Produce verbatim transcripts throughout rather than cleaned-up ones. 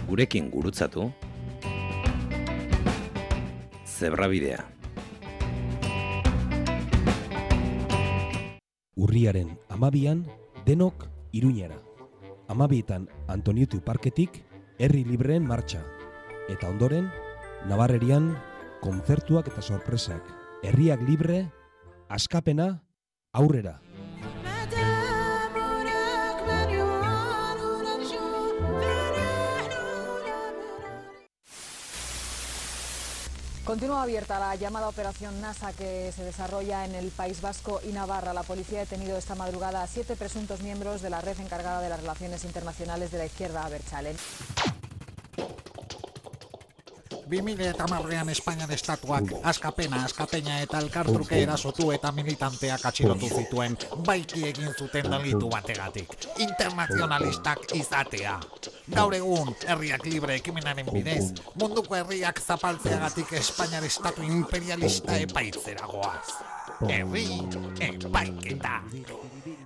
Gurekin gurutzatu Zebrabidea. Urriaren hamabian denok Iruñera. Hamabietan Antoniuti Parketik herri libreen martxa. Eta ondoren, Nabarrerian kontzertuak eta sorpresak. Herriak libre, askapena, aurrera. Continúa abierta la llamada Operación NASA que se desarrolla en el País Vasco y Navarra. La policía ha detenido esta madrugada a siete presuntos miembros de la red encargada de las relaciones internacionales de la izquierda abertzale. bi mila hamarrean Espainian estatuak askapena, askapeina eta elkartruke erasotu eta militanteak atxilotu zituen, baiki egin zuten delitu bategatik. Internazionalistak izatea. Gaur egun, herriak libre ekimenaren bidez, munduko herriak zapaltzeagatik Espainiar estatu imperialista epaitzera goaz. Herri epaiketa.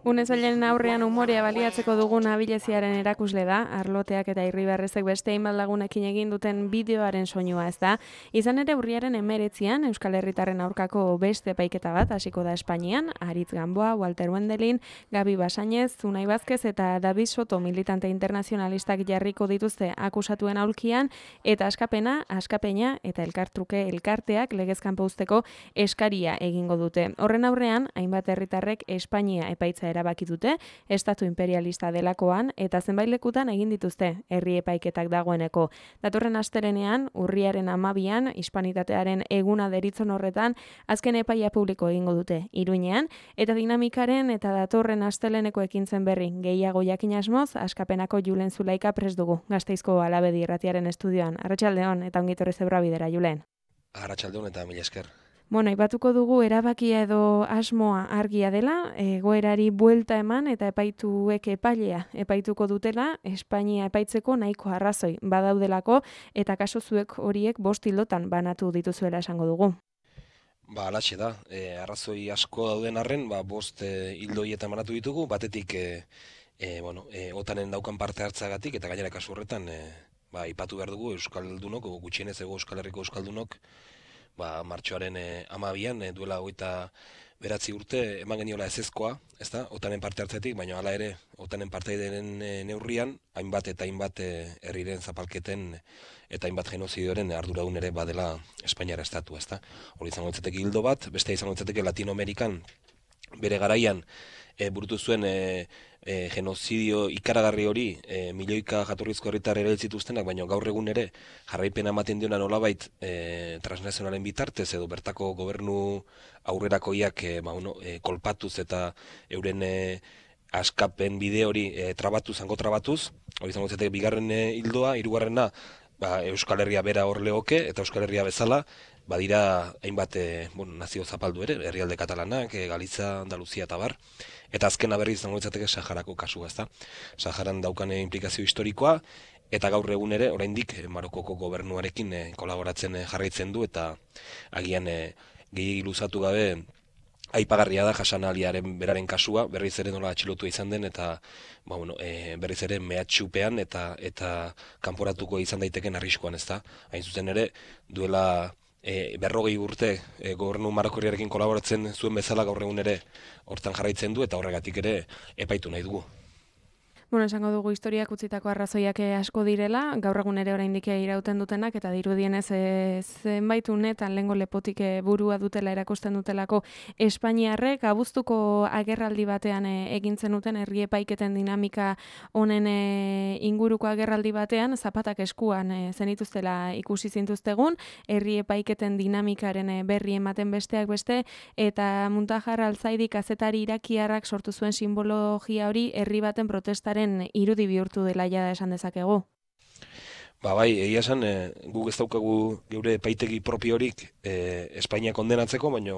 Unezailen aurrean umorea baliatzeko dugun abileziaren erakusle da, arloteak eta irribarrezek beste hainbat lagunekin egin duten bideoaren soinua ez da. Izan ere urriaren hemeretzian Euskal Herritarren aurkako beste epaiketa bat hasiko da Espainian, Aritz Gamboa, Walter Wendelin, Gabi Basainez, Unai Vázquez eta David Soto militante internazionalistak jarriko dituzte akusatuen aulkian, eta askapena, askapeina eta elkartruke elkarteak legezkanpo uzteko eskaria egingo dute. Horren aurrean, hainbat herritarrek Espainia epaitza erabaki dute, estatu imperialista delakoan eta zenbait lekutan egin dituzte herri epaiketak dagoeneko. Datorren astelehenean, urriaren hamabian, hispanitatearen eguna deritzon horretan, azken epaia publiko egingo dute Iruñean, eta dinamikaren eta datorren asteleheneko ekintzen berri gehiago jakin asmoz, askapenako Julen Zulaika prest dugu, Gasteizko Alabedi irratiaren estudioan. Arratsaldeon eta ongi etorri Zebrabidera, Julen. Arratsaldeon eta mila esker. Bueno, aipatuko dugu erabakia edo asmoa argia dela, egoerari buelta eman eta epaituek epailea epaituko dutela, Espainia epaitzeko nahiko arrazoi badaudelako, eta kaso zuek horiek bost hildotan banatu dituzuela esango dugu. Ba, alatxe da, e, arrazoi asko dauden arren, ba, bost e, hildo hietan banatu ditugu, batetik e, e, bueno, e, otanen daukan parte hartzagatik, eta gainera kasu horretan, e, ba, ipatu behar dugu Euskaldunok, gutxienez ego Euskal Herriko Euskaldunok, ba, martxoaren e, amabian, e, duela hogeita beratzi urte, eman geniola ezezkoa, ez da, otanen parte hartzetik, baina hala ere, otanen parteideren e, neurrian, hainbat eta hainbat e, herriren zapalketen eta hainbat genozidioaren arduradun ere badela Espainiara estatu, ez da. Hori izango litzateke hildo bat, beste izango litzateke Latinoamerikan bere garaian e, burutu zuen e, e, genozidio ikaragarri hori e, milioika jatorrizko herritar ere zituztenak, baina gaur egun ere jarraipena ematen diona nolabait e, transnazionalen bitartez edo bertako gobernu aurrerakoiak e, ba, uno, e, kolpatuz eta euren e, askapen bide hori e, trabatuz, zango trabatuz, hori izango litzateke bigarren e, hildoa, hirugarrena ba, Euskal Herria bera hor legoke eta Euskal Herria bezala badira hainbat e, bueno, nazio zapaldu ere, herrialde katalanak, e, Galiza, Andaluzia eta bar. Eta azkena berriz izango litzateke Saharako kasua, ezta. Saharan daukane inplikazio historikoa eta gaur egun ere oraindik e, Marokoko gobernuarekin e, kolaboratzen e, jarraitzen du eta agian e, gehiegi luzatu gabe aipagarria da Hasan Aliaren beraren kasua, berriz ere nola atxilotua izan den eta ba, bueno, e, berriz ere mehatxupean eta eta kanporatuko izan daiteken arriskuan, ezta. Hain zuzen ere duela E, berrogei urte e, gobernu marokorriarekin kolaboratzen zuen bezala gaur egun ere hortan jarraitzen du eta horregatik ere epaitu nahi dugu. Bueno, esango dugu historiak utzitako arrazoiak asko direla, gaur egun ere oraindik irauten dutenak, eta dirudienez e, zenbait unetan lehengo lepotik burua dutela erakusten dutelako Espainiarrek, abuztuko agerraldi batean e, egintzen duten herri epaiketen dinamika honen e, inguruko agerraldi batean, zapatak eskuan e, zenituztela ikusi zintuztegun, herri epaiketen dinamikaren e, berri ematen besteak beste, eta Muntajar Alzaidi kazetari irakiarrak sortu zuen simbologia hori herri baten protestaren irudi bihurtu dela jada esan dezakegu. Ba bai, egia esan, e, guk ez daukagu geure epaitegi propiorik e, Espainia kondenatzeko, baina,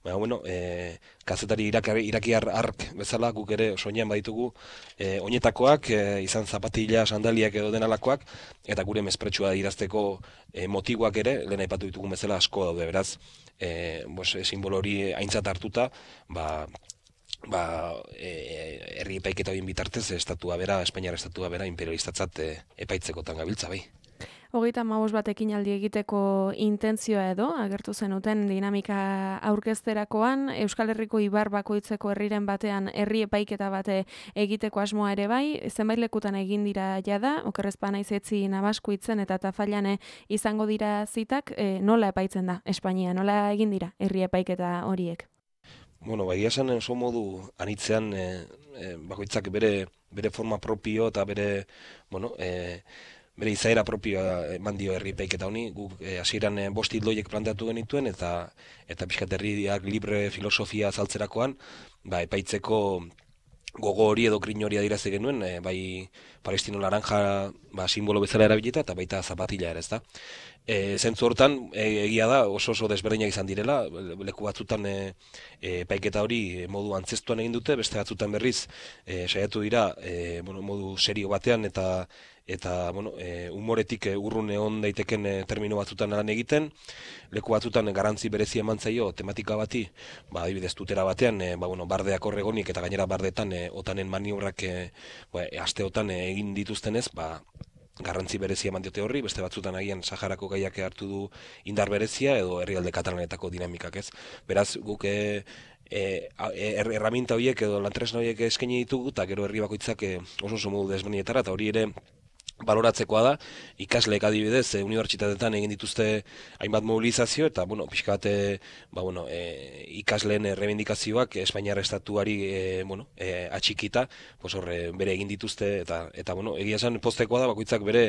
baina bueno, e, kazetari irakari, irakiar ark bezala guk ere soinean baditugu e, oinetakoak, e, izan zapatila, sandaliak edo denalakoak, eta gure mespretxua irazteko e, motiboak ere, lehen aipatu ditugun bezala asko daude, beraz, e, bos, e, simbolo hori aintzat hartuta, ba, ba, e, herri epaiketa horien bitartez, estatua bera, Espainiar estatua bera, imperialistatzat e, epaitzekotan gabiltza bai. Hogeita hamabost bat ekinaldi egiteko intentzioa edo, agertu zenuten dinamika aurkezterakoan, Euskal Herriko ibar bakoitzeko herriren batean herri epaiketa bate egiteko asmoa ere bai, zenbait lekutan egin dira jada, okerrezpa naiz etzi Nabaskuitzen eta Tafallane izango dira zitak, e, nola epaitzen da Espainia, nola egin dira herri epaiketa horiek? Bueno, bai esan oso modu anitzean e, e, bakoitzak bere bere forma propio eta bere, bueno, e, bere izaera propioa eman dio herri epaiketa honi, guk hasieran e, bost hildoiek planteatu genituen eta eta pixkat herriak libre filosofia azaltzerakoan, ba epaitzeko gogo hori edo grin hori adirazi genuen, e, bai Palestino laranja ba, simbolo bezala erabilita eta baita zapatila ere, ezta. E, zentzu hortan, e, egia da oso oso desberdinak izan direla, leku batzutan e, e, epaiketa hori modu antzestuan egin dute, beste batzutan berriz e, saiatu dira e, bueno, modu serio batean eta eta bueno, e, humoretik e, urrun egon daiteken e, termino batzutan lan egiten, leku batzutan e, garrantzi berezi eman zaio tematika bati, ba, adibidez tutera batean, e, ba, bueno, bardeak horregonik eta gainera bardeetan e, otanen maniobrak e, ba, asteotan e, egin dituztenez, ba, garrantzi berezia eman diote horri, beste batzutan agian Saharako gaiak hartu du indar berezia edo herrialde katalanetako dinamikak, ez? Beraz, guk e, e, er, erraminta horiek edo lantresna horiek eskaini ditugu eta gero herri bakoitzak e, oso oso modu desberdinetara eta hori ere baloratzekoa da, ikasleek adibidez, e, unibertsitateetan egin dituzte hainbat mobilizazio, eta, bueno, pixka bat, e, ba, bueno, e, ikasleen errebindikazioak Espainiar estatuari, e, bueno, e, atxikita, pues horre, bere egin dituzte, eta, eta bueno, egia esan postekoa da, bakoitzak bere,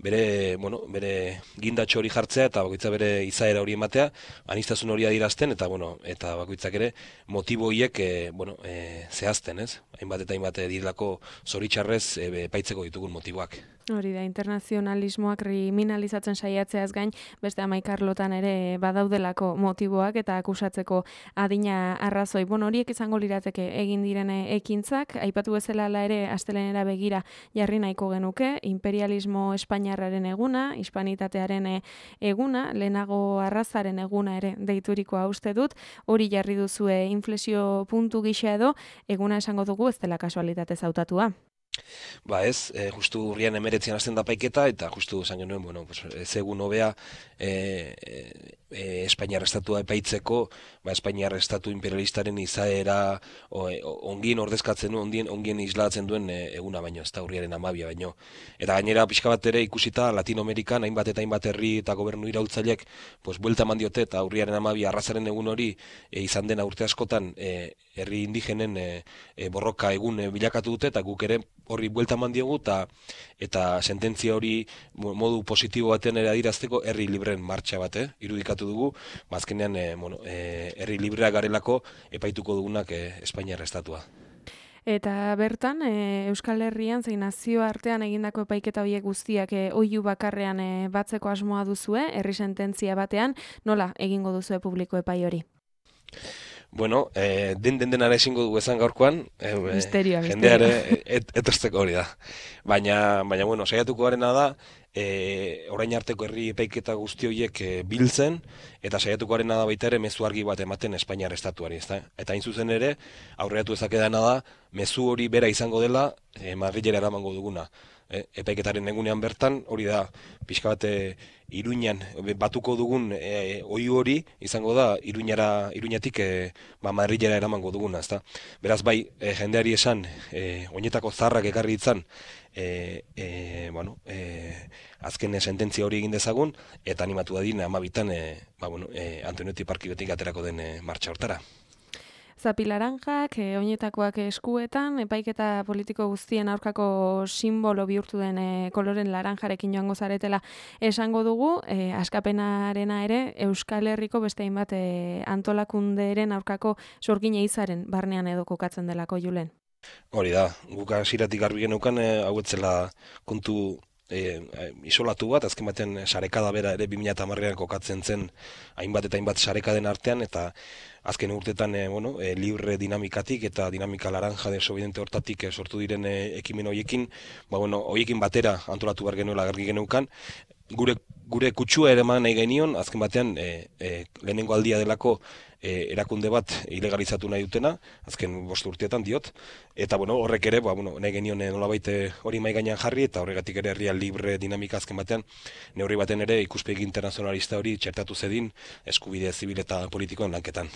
bere, bueno, bere gindatxo hori jartzea, eta bakoitzak bere izaera hori ematea, aniztasun hori adirazten, eta, bueno, eta bakoitzak ere motibo hiek, e, bueno, e, zehazten, ez? Hainbat eta hainbat direlako zoritxarrez e, epaitzeko ditugun motiboak. Hori da, internazionalismoak kriminalizatzen saiatzeaz gain, beste hamaika-arlotan ere badaudelako motiboak eta akusatzeko adina arrazoi. Bueno, horiek izango lirateke egin diren ekintzak, aipatu bezala ere astelehenera begira jarri nahiko genuke, imperialismo espainiarraren eguna, hispanitatearen eguna, lehenago arrazaren eguna ere deiturikoa uste dut, hori jarri duzue inflexio puntu gisa edo, eguna esango dugu ez dela kasualitatez hautatua. Ba ez, e, justu urrian emeretzian hasten da paiketa, eta justu esan genuen, bueno, pues, ez egun hobea e, e, Espainiar estatua epaitzeko, ba, Espainiar estatu imperialistaren izaera o, e, ongien ordezkatzen du, ongien, ongien islatzen duen e, eguna baino, ez da urriaren amabia baino. Eta gainera pixka bat ere ikusita Latinoamerikan hainbat eta hainbat herri eta gobernu iraultzaileek pues, buelta eman diote eta urriaren amabia arrazaren egun hori e, izan dena urte askotan e, herri indigenen e, e, borroka egun e, bilakatu dute eta guk ere horri buelta eman diogu eta eta sententzia hori modu positibo batean ere adirazteko herri libreen martxa bat, eh? irudikatu dugu, bazkenean e, bueno, e, herri librea garelako epaituko dugunak e, Espainiar estatua. Eta bertan, e, Euskal Herrian zein nazioartean egindako epaiketa horiek guztiak e, oihu bakarrean e, batzeko asmoa duzue, herri sententzia batean, nola egingo duzue publiko epai hori? Bueno, eh, den den denara ezingo dugu esan gaurkoan, eh, misterioa, jendeare et, etortzeko hori da. Baina, baina bueno, saiatuko garena da, eh, orain arteko herri epaiketa guzti horiek eh, biltzen, eta saiatuko garena da baita ere mezu argi bat ematen Espainiar estatuari, ezta? Eta hain zuzen ere, aurreatu ezakedana da, mezu hori bera izango dela, eh, Madrilera eramango duguna. E, epaiketaren egunean bertan, hori da, pixka bat e, Iruñan batuko dugun e, oihu hori izango da Iruñara, Iruñatik e, ba, Madrilera eramango duguna, ezta? Beraz bai, e, jendeari esan, e, oinetako zaharrak ekarri ditzan, e, e, bueno, e, azken sententzia hori egin dezagun, eta animatu dadin amabitan, e, ba, bueno, e, Antoniotti parkibetik aterako den e, martxa hortara. Zapi laranjak, e, oinetakoak eskuetan, epaiketa politiko guztien aurkako simbolo bihurtu den e, koloren laranjarekin joango zaretela esango dugu, e, askapenarena ere Euskal Herriko beste hainbat e, antolakunderen aurkako sorgin eizaren barnean edo kokatzen delako Julen. Hori da, guk hasieratik garbi geneukan e, hau etzela kontu E, isolatu bat, azken batean sarekada bera ere bi mila hamarrean kokatzen zen hainbat eta hainbat sarekaden artean, eta azken urtetan e, bueno, e, libre dinamikatik eta dinamika laranja desobediente hortatik e, sortu diren e, ekimen horiekin, ba, bueno, horiekin batera antolatu behar genuela gargi geneukan, gure gure kutsua ere eman nahi genion, azken batean e, e, lehenengo aldia delako e, erakunde bat ilegalizatu nahi dutena, azken bost urteetan diot, eta bueno, horrek ere, ba, bueno, nahi genion e, nolabait hori mai gainean jarri, eta horregatik ere herria libre dinamika azken batean, neurri baten ere ikuspegi internazionalista hori txertatu zedin eskubide zibil eta politikoen lanketan.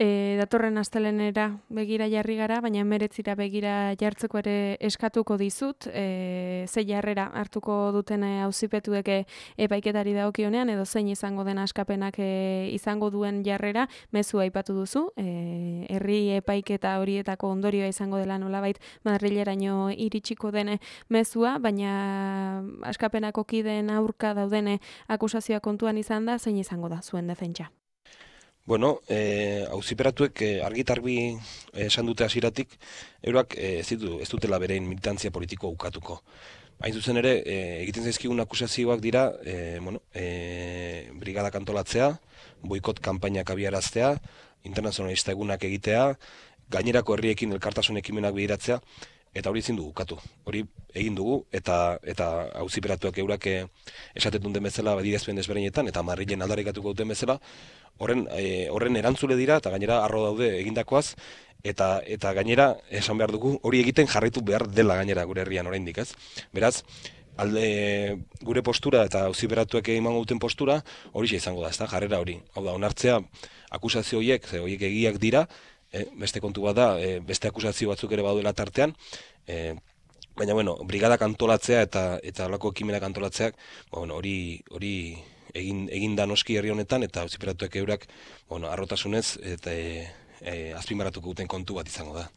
E, datorren astelenera begira jarri gara, baina hemeretzira begira jartzeko ere eskatuko dizut, e, ze jarrera hartuko duten auzipetuek epaiketari dagokionean, edo zein izango den askapenak e, izango duen jarrera, mezua aipatu duzu, e, herri epaiketa horietako ondorioa izango dela nolabait Madrileraino iritsiko den mezua, baina askapenako kideen aurka daudene akusazioa kontuan izan da, zein izango da zuen defentsa? Bueno, eh, auziperatuek eh, argitarbi esan dute hasieratik, eurak eh, ez, ditu, ez dutela berein militantzia politiko ukatuko. Hain zuzen ere, eh, egiten zaizkigun akusazioak dira, eh, bueno, eh, brigadak antolatzea, boikot kanpainak abiaraztea, internazionalista egunak egitea, gainerako herriekin elkartasun ekimenak bideratzea, eta hori ezin dugu ukatu. Hori egin dugu, eta eta auziperatuak eurak esaten duten bezala adierazpen desberdinetan, eta Madrilen aldarrikatuko duten bezala, horren e, horren erantzule dira, eta gainera harro daude egindakoaz, eta eta gainera esan behar dugu, hori egiten jarraitu behar dela gainera gure herrian oraindik, ez? Beraz, alde gure postura eta auziperatuek emango duten postura, hori izango da, ezta? Jarrera hori. Hau da, onartzea akusazio horiek, ze horiek egiak dira, E, beste kontu bat da, e, beste akusazio batzuk ere baduela tartean, e, baina bueno, brigadak antolatzea eta eta halako ekimenak antolatzeak, ba, bueno, hori hori egin egin da noski herri honetan, eta auziperatuek eurak, bueno, harrotasunez eta e, e, azpimarratuko duten kontu bat izango da.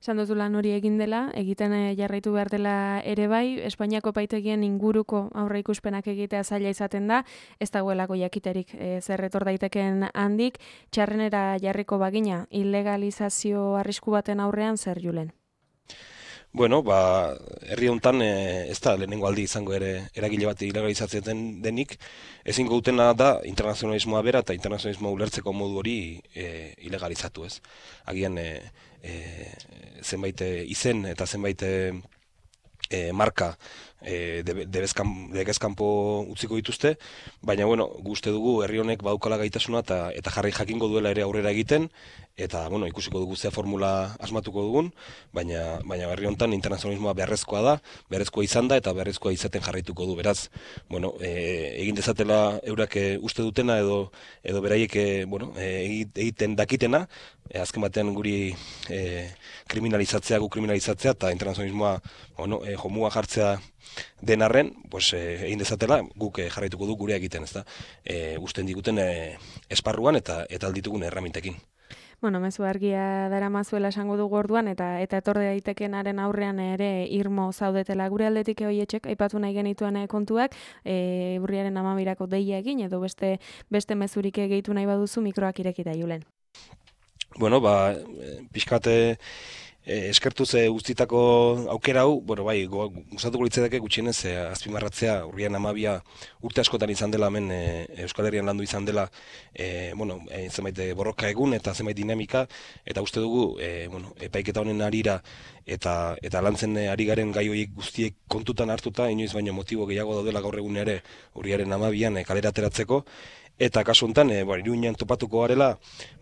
Esan duzu lan hori egin dela, egiten jarraitu behar dela ere bai, Espainiako epaitegien inguruko aurreikuspenak egitea zaila izaten da, ez dagoelako jakiterik e, zer etor daiteken handik, txarrenera jarriko bagina, ilegalizazio arrisku baten aurrean zer Julen? Bueno, ba, herri honetan e, ez da lehenengo aldi izango ere eragile bat ilegalizatzen denik, ezin dutena da internazionalismoa bera eta internazionalismoa ulertzeko modu hori e, ilegalizatu, ez. Agian e, e, zenbait izen eta zenbait e, marka e, debezkanpo utziko dituzte, baina bueno, guzti dugu herri honek badukala gaitasuna eta, eta jarri jakingo duela ere aurrera egiten, eta bueno, ikusiko dugu zea formula asmatuko dugun, baina, baina herri honetan internazionalismoa beharrezkoa da, beharrezkoa izan da eta beharrezkoa izaten jarraituko du. Beraz, bueno, e, egin dezatela eurak e, uste dutena edo edo beraiek e, bueno, e, egiten dakitena, e, azken batean guri e, kriminalizatzea, gu kriminalizatzea eta internazionalismoa bueno, e, jomua jartzea den arren, pues, e, egin dezatela guk e, jarraituko du gurea egiten, ezta? E, usten diguten e, esparruan eta eta alditugun erramintekin. Bueno, mezu argia daramazuela esango dugu orduan, eta eta etorri daitekenaren aurrean ere irmo zaudetela gure aldetik hoietxek, aipatu nahi genituen kontuak, e, urriaren hamabirako deia egin, edo beste beste mezurik gehitu nahi baduzu mikroak irekita Julen. Bueno, ba, pixkate E, eskertuz e, guztitako aukera hau, bueno, bai, gustatuko litzaidake gutxienez e, azpimarratzea urrian hamabia urte askotan izan dela hemen e, Euskal Herrian landu izan dela e, bueno, e, zenbait borroka egun eta zenbait dinamika, eta uste dugu e, bueno, epaiketa honen arira eta eta lantzen ari garen gai horiek guztiek kontutan hartuta, inoiz baino motibo gehiago daudela gaur egun ere urriaren hamabian e, kalera ateratzeko. Eta kasu honetan, e, bueno, Iruñan topatuko garela,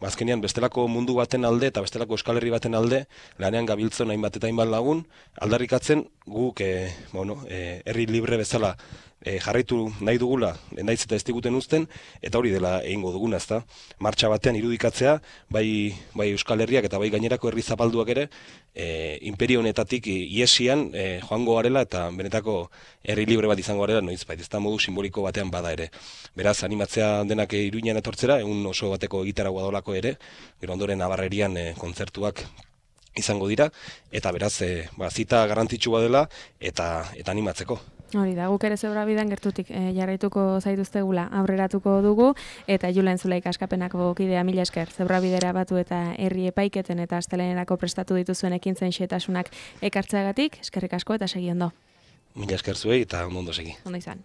azkenean bestelako mundu baten alde eta bestelako Euskal Herri baten alde, lanean gabiltzen hainbat eta hainbat lagun, aldarrikatzen guk e, bueno, e, herri libre bezala e, jarraitu nahi dugula, naiz eta ez diguten uzten, eta hori dela egingo duguna, ezta? Martxa batean irudikatzea, bai, bai Euskal Herriak eta bai gainerako herri zapalduak ere, e, imperio honetatik iesian e, joango garela eta benetako herri libre bat izango garela, noiz bait, ez da modu simboliko batean bada ere. Beraz, animatzea denak Iruñan etortzera, egun oso bateko gitarra guadolako ere, gero ondoren Nabarrerian e, kontzertuak izango dira, eta beraz, e, ba, zita garrantzitsua dela eta eta animatzeko. Hori da, guk ere Zebra bidean gertutik e, jarraituko zaituztegula aurreratuko dugu, eta Julen Zulaika askapenako kidea mila esker, Zebra bidera batu eta herri epaiketen eta astelenerako prestatu dituzuen ekintzen xetasunak ekartzeagatik, eskerrik asko eta segi ondo. Mila esker zuei eta ondo ondo segi. Ondo izan.